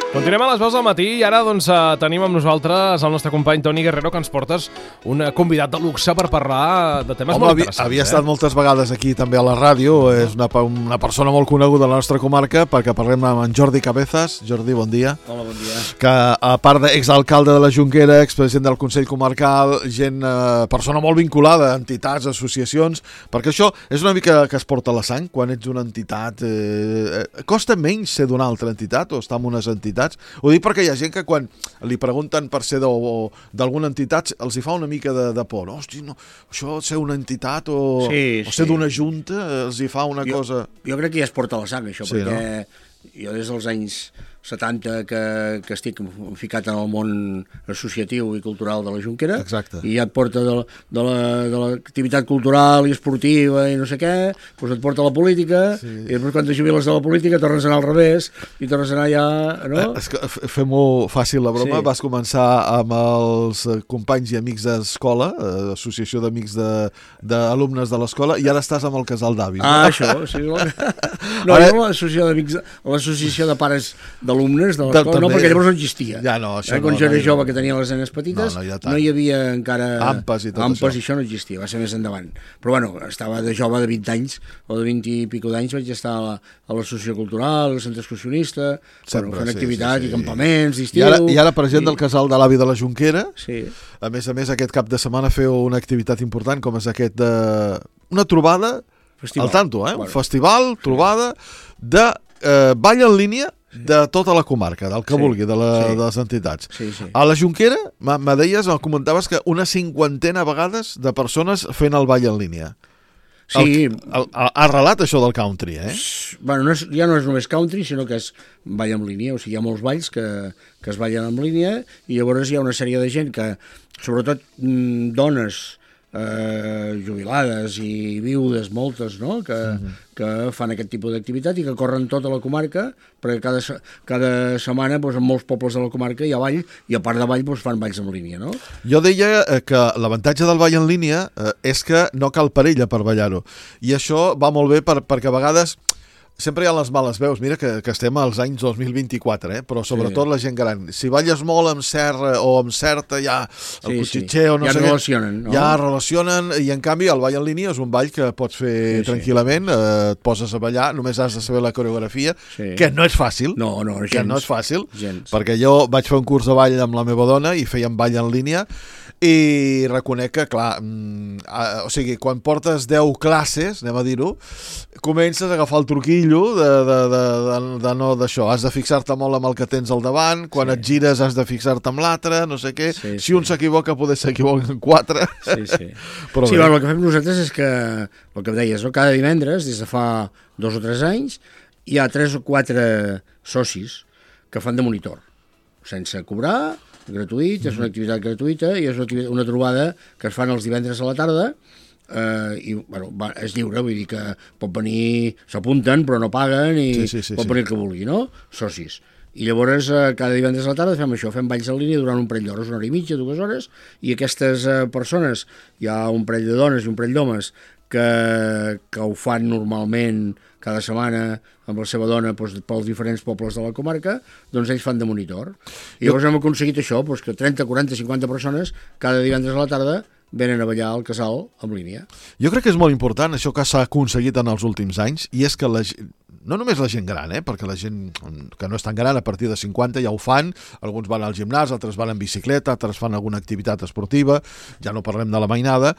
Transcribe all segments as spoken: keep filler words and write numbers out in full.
Continuem a les veus del matí i ara doncs, tenim amb nosaltres el nostre company Toni Guerrero, que ens portes un convidat de luxe per parlar de temes Home, molt interessants. Havia eh? estat moltes vegades aquí també a la ràdio, és una, una persona molt coneguda de la nostra comarca, perquè parlem amb en Jordi Cabezas. Jordi, bon dia. Hola, bon dia. Que a part d'exalcalde de la Jonquera, expresident del Consell Comarcal, gent, eh, persona molt vinculada a entitats, associacions, perquè això és una mica que es porta a la sang quan ets una entitat. Eh, costa menys ser d'una altra entitat o estar en unes entitats? Ho dic perquè hi ha gent que quan li pregunten per ser d'alguna entitat els hi fa una mica de, de por. Hosti, no, això ser una entitat o, sí, o ser sí. d'una junta els hi fa una jo, cosa... Jo crec que ja es porta a la sang, això, sí, perquè no? jo des dels anys setanta que, que estic ficat en el món associatiu i cultural de la Jonquera. Exacte. I ja et porta de, de l'activitat la, cultural i esportiva i no sé què, doncs et porta a la política, sí. I després quan te jubiles de la política tornes a anar al revés i tornes a anar ja... No? Eh, és que fem-ho fàcil la broma, sí. Vas començar amb els companys i amics d'escola, eh, associació d'amics d'alumnes de, de l'escola, i ara estàs amb el casal d'avis. Ah, no? això, sí. No, ara... jo l'associació d'amics, l'associació de pares de alumnes de l'escola, no, perquè llavors no existia. Ja no, això eh, quan no, jo era no, jove, que tenia les nenes petites, no, no, hi, no hi havia encara... Ampes i tot ampes, això. I això no existia, va ser més endavant. Però bueno, estava de jove de vint anys, o de vint i pico d'anys, vaig estar a l'associació cultural, al centre excursionista, bueno, fent sí, activitat sí, sí. i campaments d'estiu... I ara, i ara president i... del casal de l'avi de la Jonquera, sí. A més a més aquest cap de setmana feu una activitat important com és aquest de... una trobada festival. Al tanto, eh? Bueno. Un festival, trobada de eh, ball en línia de tota la comarca, del que sí, vulgui, de, la, sí. de les entitats. Sí, sí. A la Jonquera, me deies, me comentaves que una cinquantena vegades de persones fent el ball en línia. Sí. El, el, el, arrelat això del country, eh? Bueno, no és, ja no és només country, sinó que és ball en línia, o sigui, hi ha molts balls que, que es ballen en línia i llavors hi ha una sèrie de gent que, sobretot mm, dones, Eh, jubilades i viudes moltes, no? que, uh-huh. que fan aquest tipus d'activitat i que corren tota la comarca, perquè cada, cada setmana doncs, en molts pobles de la comarca hi ha ball i a part de ball doncs, fan balls en línia, no? Jo deia que l'avantatge del ball en línia eh, és que no cal parella per ballar-ho, i això va molt bé per, perquè a vegades sempre hi ha les males veus, mira que, que estem als anys dos mil vint-i-quatre, eh? Però sobretot sí. La gent gran. Si balles molt amb serra o amb certa, ja el sí, cotxitxeo, sí. No ja sé relacionen, què, no? ja relacionen, i en canvi el ball en línia és un ball que pots fer sí, tranquil·lament, sí. Eh, et poses a ballar, només has de saber la coreografia, sí. Que no és fàcil, no, no, gens, que no és fàcil, gens. Perquè jo vaig fer un curs de ball amb la meva dona i fèiem ball en línia, i reconec que, clar, mm, a, o sigui, quan portes deu classes, anem a dir-ho, comences a agafar el truquillo de, de, de, de, de no d'això, has de fixar-te molt amb el que tens al davant, quan sí. Et gires has de fixar-te amb l'altre, no sé què, sí, si sí. Un s'equivoca poder s'equivoquen quatre. Sí, sí. Però sí, bueno, el que fem nosaltres és que, el que deies, no? Cada divendres, des de fa dos o tres anys, hi ha tres o quatre socis que fan de monitor, sense cobrar, gratuït, és una activitat gratuïta i és una, una trobada que es fan els divendres a la tarda eh, i bueno, va, és lliure, vull dir que pot venir, s'apunten però no paguen i sí, sí, sí, pot venir el que vulgui, no? Socis. I llavors eh, cada divendres a la tarda fem això, fem balls en línia durant un parell d'hores, una hora i mitja, dues hores, i aquestes eh, persones, hi ha un parell de dones i un parell d'homes que, que ho fan normalment cada setmana amb la seva dona doncs, pels diferents pobles de la comarca, doncs ells fan de monitor. I llavors hem aconseguit això, doncs, que trenta, quaranta, cinquanta persones cada divendres a la tarda venen a ballar al casal en línia. Jo crec que és molt important això que s'ha aconseguit en els últims anys, i és que la gent, no només la gent gran, eh, perquè la gent que no és tan gran a partir de cinquanta ja ho fan, alguns van al gimnàs, altres van en bicicleta, altres fan alguna activitat esportiva, ja no parlem de la mainada,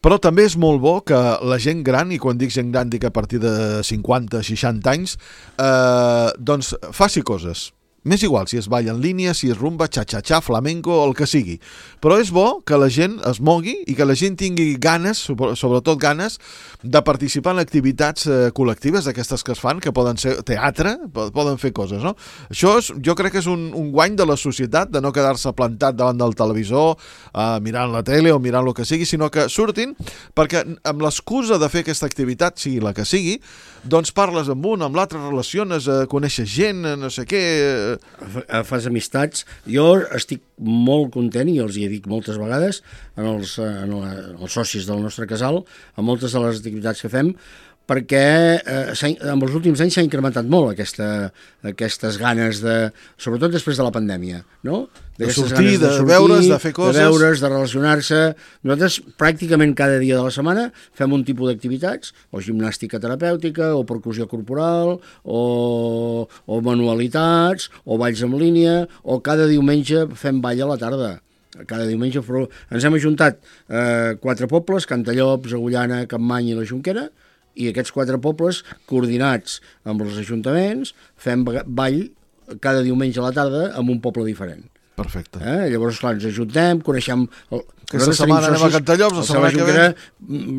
però també és molt bo que la gent gran, i quan dic gent gran dic a partir de cinquanta, seixanta anys, eh, doncs faci coses. M'és igual si es balla en línia, si es rumba, xa-xa-xa, flamenco, el que sigui. Però és bo que la gent es mogui i que la gent tingui ganes, sobretot ganes, de participar en activitats eh, col·lectives d'aquestes que es fan, que poden ser teatre, poden fer coses, no? Això és, jo crec que és un, un guany de la societat, de no quedar-se plantat davant del televisor, eh, mirant la tele o mirant el que sigui, sinó que surtin, perquè amb l'excusa de fer aquesta activitat, sigui la que sigui, doncs parles amb un, amb l'altre, relaciones, eh, coneixes gent, no sé què... Fas amistats. Jo estic molt content, i els hi dic moltes vegades en els, en la, els socis del nostre casal, en moltes de les activitats que fem, perquè eh, en els últims anys s'ha incrementat molt aquesta, aquestes ganes de, sobretot després de la pandèmia, no? De sortir, de, de sortir, veure's, de fer coses... De veure's, de relacionar-se. Nosaltres pràcticament cada dia de la setmana fem un tipus d'activitats, o gimnàstica terapèutica, o percussió corporal, o, o manualitats, o balls en línia, o cada diumenge fem ball a la tarda. Cada diumenge ens hem ajuntat eh, quatre pobles, Cantallops, Agullana, Capmany i la Jonquera, i aquests quatre pobles, coordinats amb els ajuntaments, fem ball cada diumenge a la tarda en un poble diferent. Perfecte. Eh? Llavors, clar, ens ajuntem, coneixem... El... Aquesta setmana anem a Cantallops, la setmana que ve...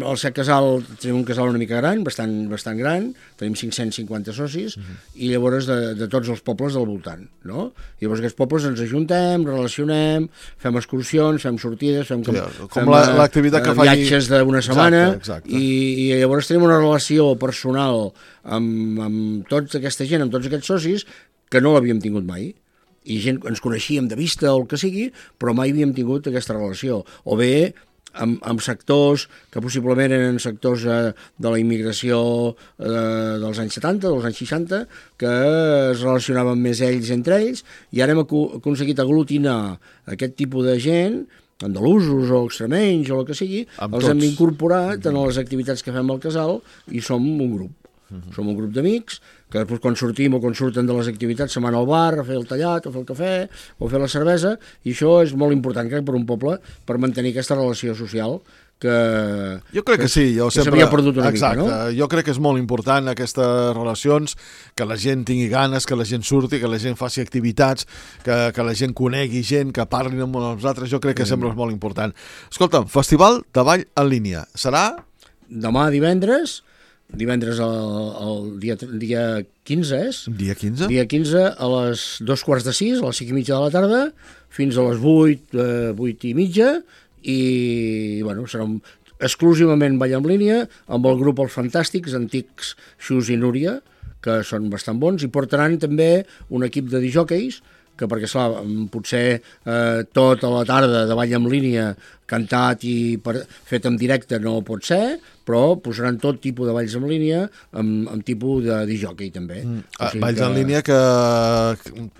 El Set Casal, tenim un casal una mica gran, bastant, bastant gran, tenim cinc-cents cinquanta socis, uh -huh. i llavors de, de tots els pobles del voltant, no? I llavors aquests pobles ens ajuntem, relacionem, fem excursions, fem sortides, fem, com, sí, com l'activitat que faci... viatges d'una setmana, exacte, exacte. I, i llavors tenim una relació personal amb, amb tota aquesta gent, amb tots aquests socis, que no l'havíem tingut mai. I gent, ens coneixíem de vista o el que sigui, però mai havíem tingut aquesta relació. O bé amb, amb sectors que possiblement eren sectors eh, de la immigració eh, dels anys setanta, dels anys seixanta, que es relacionaven més ells entre ells, i ara hem aconseguit aglutinar aquest tipus de gent, andalusos o extremenys o el que sigui, amb els tots. Hem incorporat en les activitats que fem al casal i som un grup. Uh-huh. Som un grup d'amics que després quan sortim o quan surten de les activitats se'n van al bar a fer el tallat o fer el cafè o fer la cervesa, i això és molt important, crec, per un poble, per mantenir aquesta relació social que... Jo crec que, que sí, jo que sempre... s'havia perdut una Exacte. mica, no? Jo crec que és molt important aquestes relacions, que la gent tingui ganes, que la gent surti, que la gent faci activitats, que, que la gent conegui gent, que parlin amb els altres, jo crec que mm. sempre és molt important. Escolta'm, Festival de Ball en línia, serà? Demà divendres... Divendres el, el dia, dia quinze és? Dia quinze? Dia quinze a les dos quarts de sis, a les cinc i mitja de la tarda, fins a les vuit, eh, vuit i mitja, i bueno, serà un, exclusivament ball en línia, amb el grup Els Fantàstics, antics Xus i Núria, que són bastant bons, i portaran també un equip de disjòqueis, que perquè, esclar, potser eh, tota la tarda de ball en línia cantat i per, fet en directe no pot ser, però posaran tot tipus de balls en línia amb, amb tipus de disjockey també. Mm. O sigui balls que... en línia que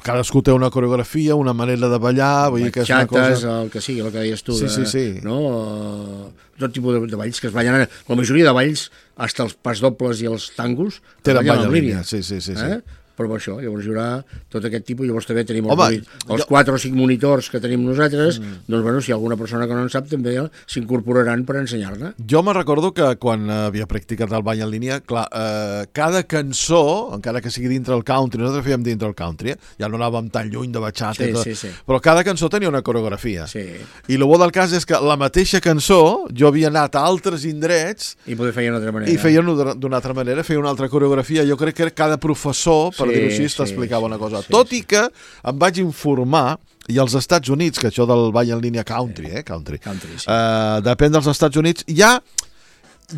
cadascú té una coreografia, una manera de ballar, vull dir que és una cosa... el que sigui, el que deies tu, sí, de, sí, sí. No? Tot tipus de, de balls que es ballen ara. La majoria de balls, fins els pas dobles i els tangos, tenen ball en línia. Sí, sí, sí, sí. Eh? Però això, llavors hi haurà tot aquest tipus, llavors també tenim els, Home, els jo... quatre o cinc monitors que tenim nosaltres, mm. doncs bueno, si hi ha alguna persona que no en sap també s'incorporaran per ensenyar-ne. Jo me recordo que quan havia practicat el ball en línia, clar, eh, cada cançó, encara que sigui dintre el country, nosaltres fèiem dintre el country, eh? Ja no anàvem tan lluny de bachata sí, i tot, sí, sí. però cada cançó tenia una coreografia. Sí. I el bo del cas és que la mateixa cançó, jo havia anat a altres indrets i poder feia d'una altra manera. I feien d'una altra manera, feia una altra coreografia. Jo crec que cada professor, per sí, dir-ho així, sí. explicava una cosa. Sí, Tot sí. i que em vaig informar, i als Estats Units, que això del ball en línia country, eh? Country. country sí. uh, depèn dels Estats Units, hi ha,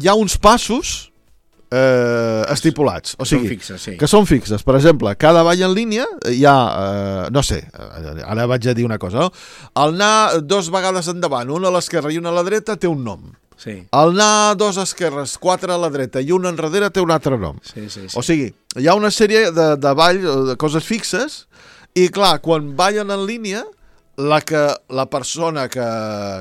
hi ha uns passos eh, estipulats. O sigui, són fixes, sí. que són fixes. Per exemple, cada ball en línia hi ha, eh, no sé, ara vaig a dir una cosa, no? El anar dos vegades endavant, una a l'esquerra i una a la dreta, té un nom. Sí. El anar dos esquerres, quatre a la dreta i un enrere té un altre nom. Sí, sí, sí. O sigui, hi ha una sèrie de, de ball, de coses fixes, i clar, quan ballen en línia, la que la persona que,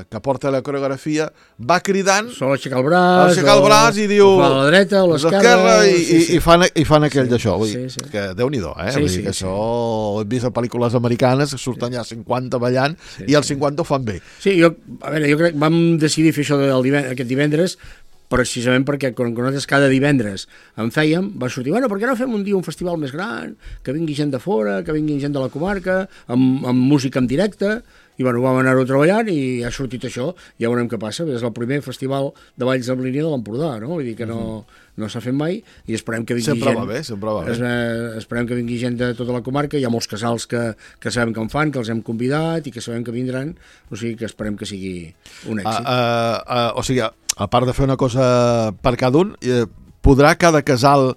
que porta la coreografia va cridant, sol aixecar el braç, aixecar el braç i diu a la dreta o a l'esquerra i, sí, sí. i, fan, i fan aquell sí, d'això. Vull dir, sí, sí. que Déu-n'hi-do, eh? Sí, Vull dir sí, que sí. això ho he vist a pel·lícules americanes que surten sí. ja cinquanta ballant sí, i els sí. cinquanta ho fan bé. Sí, jo, a veure, jo crec que vam decidir fer això del divendres, aquest divendres precisament perquè quan nosaltres cada divendres en fèiem, va sortir, bueno, per què no fem un dia un festival més gran, que vingui gent de fora, que vingui gent de la comarca, amb, amb música en directe, i bueno, vam anar-ho treballant i ha sortit això, ja veurem què passa, és el primer festival de balls en línia de l'Empordà, no? Vull dir que no, no s'ha fet mai i esperem que vingui sempre gent... Va bé, sempre va bé. Es, eh, esperem que vingui gent de tota la comarca, hi ha molts casals que, que sabem que en fan, que els hem convidat i que sabem que vindran, o sigui que esperem que sigui un èxit. Uh, uh, uh, o sigui, a part de fer una cosa per cada un, eh, podrà cada casal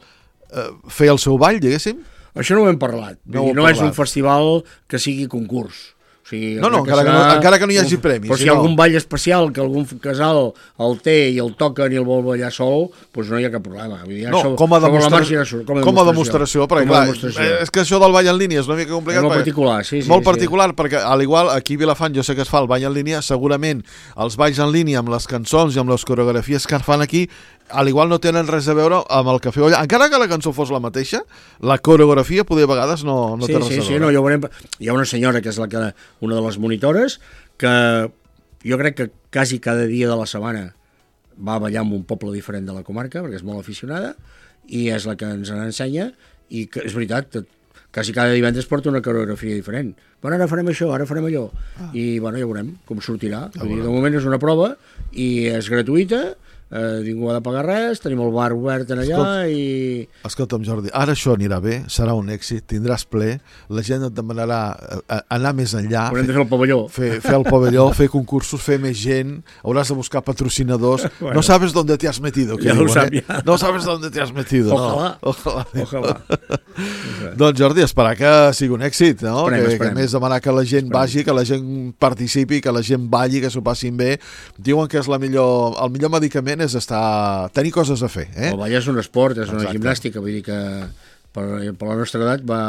eh, fer el seu ball, diguéssim? Això no ho hem parlat. No, ho no no és un festival que sigui concurs. O O sigui, no, no, que encara, serà... que no, encara que no hi hagi premis. Però si hi ha algun ball especial que algun casal el té i el toquen i el vol ballar sol, doncs no hi ha cap problema. Vull dir, no, això, com a, demostra... marxa, com a com a demostració, perquè com a clar, demostració. és que això del ball en línia és una mica complicat. És molt particular, sí, sí. Molt sí. particular, perquè al igual aquí a Vilafant jo sé que es fa el ball en línia, segurament els balls en línia amb les cançons i amb les coreografies que es fan aquí al igual no tenen res a veure amb el que feu allà. Encara que la cançó fos la mateixa, la coreografia poder a vegades no, no sí, té res sí, a veure. Sí, no, ja ho veurem. Hi ha una senyora que és la que, una de les monitores que jo crec que quasi cada dia de la setmana va ballar en un poble diferent de la comarca, perquè és molt aficionada, i és la que ens ensenya, i que, és veritat, quasi cada divendres porta una coreografia diferent. Bueno, ara farem això, ara farem allò. Ah. I bueno, ja veurem com sortirà. Vull dir, de moment és una prova i és gratuïta, eh, ningú ha de pagar res, tenim el bar obert allà. Escolta, i... Escolta'm, Jordi, ara això anirà bé, serà un èxit, tindràs ple, la gent et demanarà anar més enllà. Haurem de fer el pavelló. Fer, fer el pavelló, fer concursos, fer més gent, hauràs de buscar patrocinadors. Bueno, no sabes dónde te has metido. Ja diuen, ho sap, eh? ja. No sabes dónde te has metido. Ojalà. No. Ojalà. Ojalà. Doncs Jordi, esperar que sigui un èxit, no? Esperem, que, esperem. que més demanar que la gent esperem. vagi, que la gent participi, que la gent balli, que s'ho passin bé. Diuen que és la millor, el millor medicament és estar, tenir coses a fer. Eh? El ball és un esport, és una Exacte. Gimnàstica, vull dir que per, per la nostra edat va,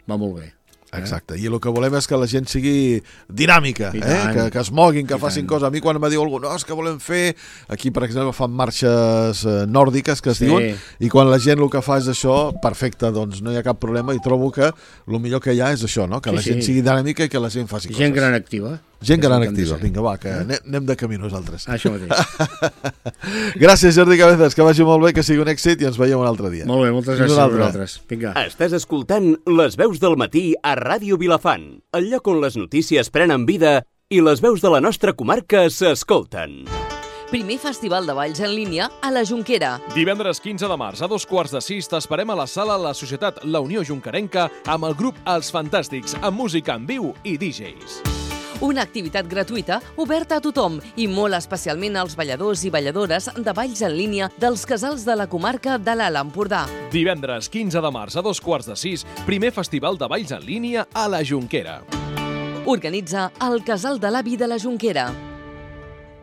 va molt bé. Exacte, i el que volem és que la gent sigui dinàmica, eh? que, que es moguin, que I facin tant. coses. A mi quan me diu algú, no, és que volem fer... Aquí, per exemple, fan marxes eh, nòrdiques, que es Sí. diuen, i quan la gent el que fa és això, perfecte, doncs no hi ha cap problema, i trobo que el millor que hi ha és això, no? que Sí, la gent sí. sigui dinàmica i que la gent faci Gent coses. gran activa. Gent És gran el que hem de activa. ser. Vinga, va, que anem, anem de camí nosaltres. Això mateix. Gràcies, Jordi Cabezas, que vagi molt bé, que sigui un èxit i ens veiem un altre dia. Molt bé, moltes Fins gràcies un a altre. vosaltres. Vinga. Estàs escoltant Les veus del matí a Ràdio Vilafant, el lloc on les notícies prenen vida i les veus de la nostra comarca s'escolten. Primer Festival de Balls en línia a la Jonquera. Divendres quinze de març a dos quarts de sis t'esperem a la sala La Societat La Unió Jonquerenca amb el grup Els Fantàstics, amb música en viu i D Js. Una activitat gratuïta oberta a tothom i molt especialment als balladors i balladores de balls en línia dels casals de la comarca de l'Alt Empordà. Divendres quinze de març a dos quarts de sis, primer Festival de Balls en línia a la Jonquera. Organitza el Casal de l'Avi de la Jonquera.